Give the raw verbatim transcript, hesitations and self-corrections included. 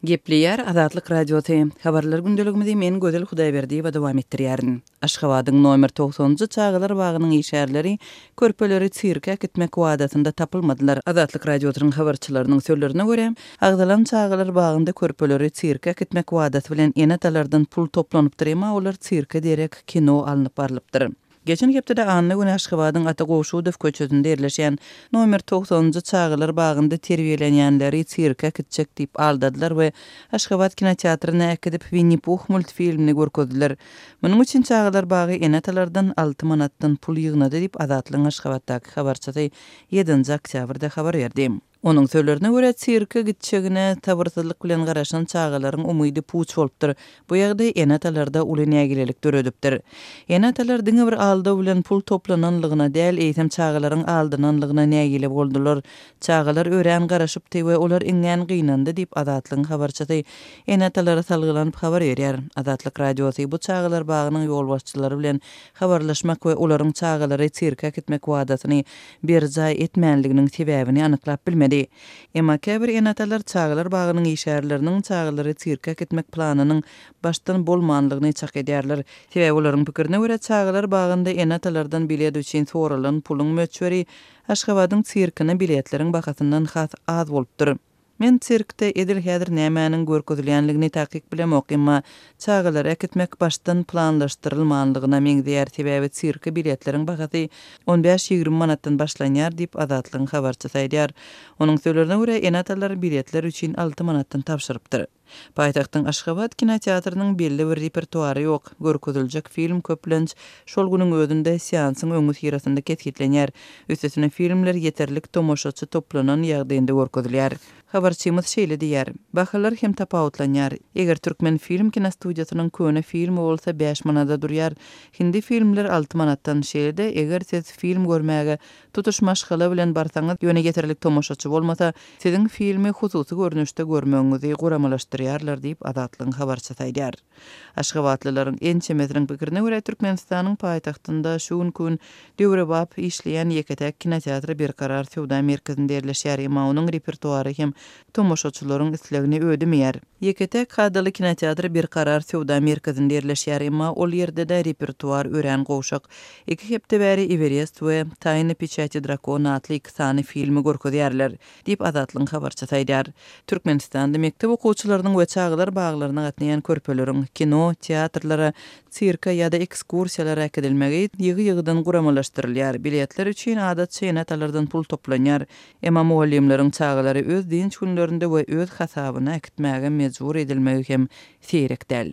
Gepleýär Azatlyk Radiosy. Habarlar gündeligimizi men Gözel Hudaýberdiýewa dowam etdirýärin. Aşgabadyň nomer togsanynjy çagalar bagynyň işgärleri körpeleri sirke äkitmek wadasynda tapylmadylar. Azatlyk Radiosynyň habarçylarynyň sözlerine görä, agzalan çagalar bagynda körpeleri sirke äkitmek wadasy bilen ene-atalardan pul toplanypdyr, emma olar sirke derek kino alnyp barlypdyr. Geçen hepdede anna güni Aşgabadyň Ata Gowşudow köçesinde ýerleşýän nomer togsanynjy çagalar bagynda terbiýelenýänleri sirke äkitjek diýip aldadylar we Aşgabat kinoteatryna äkidip Winni Puh multfilmini görkezdiler. Munuň üçin çagalar bagy ene-atalardan alty manatdan pul ýygnady diýip Azatlygyň Aşgabatdaky habarçysy ýedinji oktýabrda habar berdi. Onuň sözlerine görä, sirke gitjegine sabyrsyzlyk bilen garaşan çagalaryň umydy puç bolupdyr. Bu ýagdaý ene-atalarda uly nägilelik döredipdir. Ene-atalar diňe bir aldaw bilen pul toplananlygyna däl, eýsem çagalaryň aldananlygyna nägile boldular. Çagalar örän garaşypdy we olar iňňän gynandy diýip Azatlygyň habarçysy ene-atalara salgylanyp habar berýär. Azatlyk Radiosy bu çagalar bagynyň ýolbaşçylary bilen habarlaşmak we olaryň çagalary sirke äkitmek wadasyny berjaý etmänliginiň sebäbini anyklap bilmedi. Emma käbir ene-atalar çagalar bagynyň işgärleriniň çagalary sirke äkitmek planynyň başdan bolmanlygyny çak edýärler. Sebäbi olaryň pikirine görä, çagalar bagynda ene-atalardan bilet üçin soralan puluň möçberi Aşgabadyň sirkine biletleriň bahasyndan has az bolupdyr. Men sirkde edil häzir nämäniň görkezilýänligini takyk bilemok, emma çagalary äkitmek başdan planlaşdyrylmanlygyna meňzeýär, sebäbi sirke biletleriň bahasy on bäş-ýigrimi manatdan başlanýar diýip Azatlygyň habarçysy aýdýar. Onuň sözlerine görä, ene-atalar biletler üçin alty manatdan tabşyrypdyr. Paýtagtyň Aşgabat kinoteatrynyň belli bir repertuary ýok. Görkeziljek film köplenç şol günüň özünde seansyň öňüsyrasynda kesgitlenýär. Üstesine filmler ýeterlik tomaşaçy toplanan ýagdaýynda görkezilýär. Habarçymyz şeýle diýýär: Bahalar hem tapawutlanýar. Eger Türkmen film kinostudiýasynyň köne filmi bolsa bäş manada durýar, hindi filmler alty manatdan. Şeýle-de, eger siz film görmäge tutuş maşgala bilen barsaňyz, ýöne ýeterlik tomaşaçy bolmasa, siziň filmi hususy görnüşde görmegiňizi guramalaşdyrýarlar diýip Azatlygyň habarçysy aýdýar. Aşgabatlylaryň ençemesiniň pikirine görä, Türkmenistanyň paýtagtynda şu günki gün döwrebap işleýän ýeke-täk kinoteatry Berkarar söwda merkezinde ýerleşýär, emma onuň repertuary hem tomaşaçylaryň islegini ödemeýär. Ýeke-täk kadaly kinoteatr Berkarar söwda merkezinde ýerleşýär, emma ol ýerde-de repertuar örän gowşak. Iki hepde bäri Everest we Taýna peçati drakona atly iki sany filmi görkezýärler, diýip Azatlygyň habarçysy aýdýar. Türkmenistanda mekdep okuwçylarynyň we çagalar baglaryna gatnaýan körpeleriň kino, teatrlara, sirke ýa-da ekskursiýalara äkidilmegi ýygy-ýygydan guramalaşdyrylýar. Biletler üçin adatça ene-atalardan pul toplanýar. Emma mugallymlaryň çagalary öz dynç günlerinde we öz hasabyna äkitmäge mejbur edilmegi hem seýrek däl.